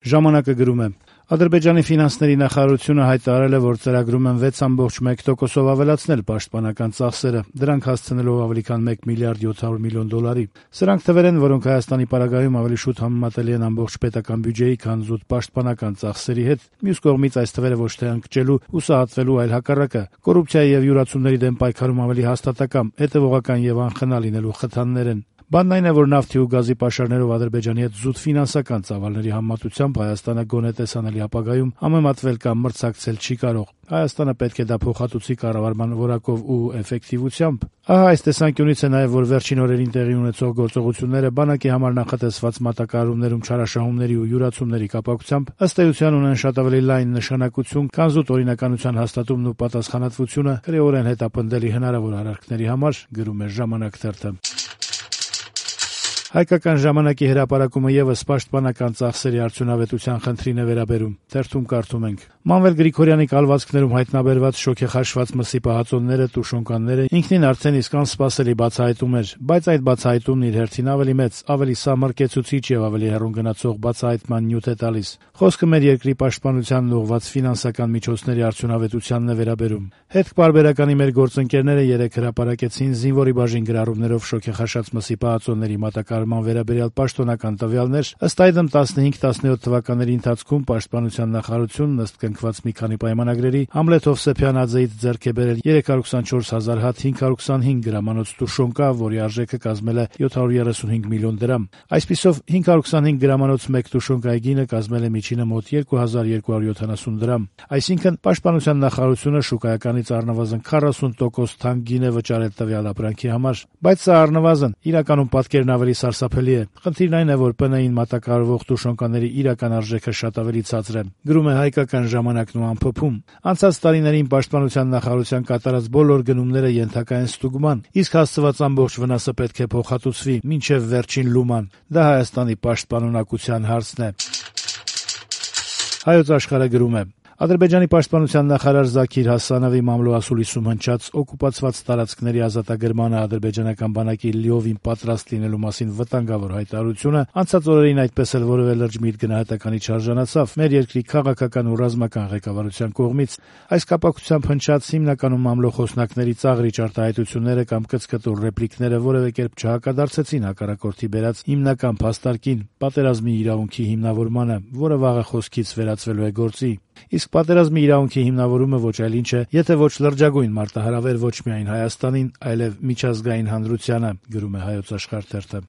Ժամանակը գրում է. Ադրբեջանի ֆինանսների նախարարությունը հայտարարել է, որ ծրագրում են 6.1%-ով ավելացնել պաշտպանական ծախսերը, դրանք հասցնելով ավելի քան 1 միլիարդ 700 միլիոն դոլարի։ Սրանք թվեր են, որոնք Հայաստանի պարագայում ավելի շուտ համեմատելի են ամբողջ պետական բյուջեի, քան զուտ պաշտպանական ծախսերի հետ։ Մյուս կողմից այս թվերը ոչ թե ընկճելու, հուսահատվելու, այլ հակառակը, կոռուպցիայի եւ յուրացումների դեմ պայքարում ավելի հաստատակամ, հետեւողական եւ անխնա լինելու խթաններ են։ Բանն այն է, որ նավթի ու գազի պաշարներով Ադրբեջանի հետ զուտ ֆինանսական ծավալների համեմատությամբ Հայաստանը գոնե տեսանելի ապագայում համեմատվել կամ մրցակցել չի կարող։ Հայաստանը պետք է դա փոխհատուցի կառավարման որակով ու էֆեկտիվությամբ։ Ահա այս տեսանկյունից է նաև, որ վերջին օրերին տեղի ունեցող գործողությունները բանակի համար նախատեսված մատակարարումներում չարաշահումների ու յուրացումների կապակցությամբ ըստ էության ունեն շատ ավելի լայն նշանակություն, քան զուտ օրինականության հաստատումն ու պատասխանատվությունը քրեորեն հետապնդելի հնարավոր արարքների համար, գրում է «Ժամանակ» թերթը։ Հայկական ժամանակի հրապարակումը եւս պաշտպանական ծախսերի արդյունավետության խնդրին է վերաբերում։ Թերթում կարդում ենք. Մանվել Գրիգորյանի կալվածքներում հայտնաբերված շոգեխաշված մսի պահածոները, տուշոնկանները ինքնին արդեն իսկ անսպասելի բացահայտում էր, բայց այդ բացահայտումն իր հերթին ավելի մեծ, ավելի սահմռկեցուցիչ եւ ավելի հեռուն գնացող բացահայտման նյութ է տալիս։ Խոսքը մեր երկրի պաշտպանությանն ուղղված ֆինանսական միջոցների արդյունավետությանն է վերաբերում։ Հետք-պարբերականի մեր գործընկերները երեկ հրապարակեցին զինվորի բաժին գրառումներով շոգեխաշած մսի պահածոների մատակարարման վերաբերյալ պաշտոնական տվյալներ, ըստ այդմ 15-17 թվականների ընթացքում պաշտպանության նախարարությունն ըստ կնքված մի քանի պայմանագրերի Համլետ Հովսեփյան-Աձեից ձեռք է բերել 324,000 հատ 525 գրամանոց տուշոնկա, որի արժեքը կազմել է 735 միլիոն դրամ։ Այսպիսով 525 գրամանոց մեկ տուշոնկայի գինը կազմել է միջինը մոտ 2270 դրամ։ Այսինքն պաշտպանության նախարարությունը շուկայականից առնվազն 40% թանկ գին է վճարել տվյալ ապրանքի համար, բայց սա առնվազն, իրականում պատկերն ավելի սարսափելի է։ Խնդիրն այն է, որ ՊՆ-ին մատակարարվող տուշոնկաների իրական արժեքը շատ ավելի ցածր է, գրում է Հայկական ժամանակն ու ամփոփում։ Անցած տարիներին պաշտպանության նախարարության կատարած բոլոր գնումները ենթակա են ստուգման, իսկ հասցված ամբողջ վնասը պետք է փոխհատուցվի մինչև վերջին լուման։ Դա Հայաստանի պաշտպանունակության հարցն է։ Հայոց Աշխարհը գրում է. Ադրբեջանի պաշտպանության նախարար Զաքիր Հասանովի մամլո-ասուլիսում հնչած օկուպացված տարածքների ազատագրմանը ադրբեջանական բանակի լիովին պատրաստ լինելու մասին վտանգավոր հայտարարությունը անցած օրերին այդպես էլ որևէ լուրջ միտք գնահատականի չարժանացավ մեր երկրի քաղաքական ու ռազմական ղեկավարության կողմից։ Այս կապակցությամբ հնչած հիմնականում մամլո խոսնակների ծաղրիչ արտահայտությունները կամ կծկտուր ռեպլիկները որևէ կերպ չհակադարձեցին հակառակորդի բերած հիմնական փաստարկին՝ պատերազմի իրավունքի հիմնավորմանը, որը վաղը խոսքից վերածվելու է գործի։ Իսկ պատերազմի իրավունքի հիմնավորումը ոչ այլ ինչ է, եթե ոչ լրջագույն մարտահրավեր ոչ միայն Հայաստանին, այլև միջազգային հանրությանը, գրում է Հայոց Աշխարհ թերթը։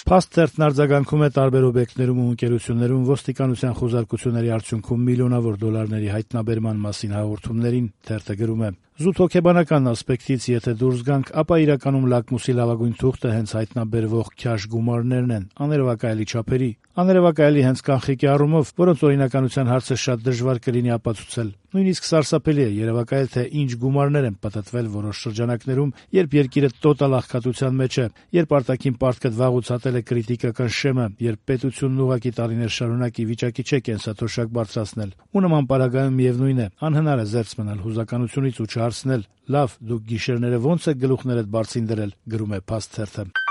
Փաստ թերթն արձագանքում է տարբեր օբյեկտներում ու ընկերություններում ոստիկանության խոզարկությունների արդյունքում միլիոնավոր դոլարների հայտնաբերման մասին հաղորդումներին։ Թերթը գրում է. Զուտ հոգեբանական ասպեկտից եթե դուրս գանք, ապա իրականում լակմուսի լավագույն թուղթը հենց հայտնաբերվող քյաշ գումարներն են, աներևակայելի չափերի։ Աներևակայելի հենց կանխիկի առումով, որոնց օրինականության հարցը շատ դժվար կլինի ապացուցել։ Նույնիսկ սարսափելի է երևակայել, թե ինչ գումարներ են պատտվել որոշ շրջանակներում, երբ երկիրը տոտալ աղքատության մեջ է, երբ արտաքին պարտքդ վաղուց հատել է կրիտիկական շեմը, երբ պետությունն ուղղակի տարիներ շարունակ ի վիճակի չէ կենսաթոշակ բարձրացնել։ Ու նման պարագայում միևնույն է, անհնար է զերծ մնալ հուզականությունից ու չհարցնել. լավ, դուք գիշերները ո՞նց եք գլուխներդ բարձին դրել, գրում է Փաստ թերթը։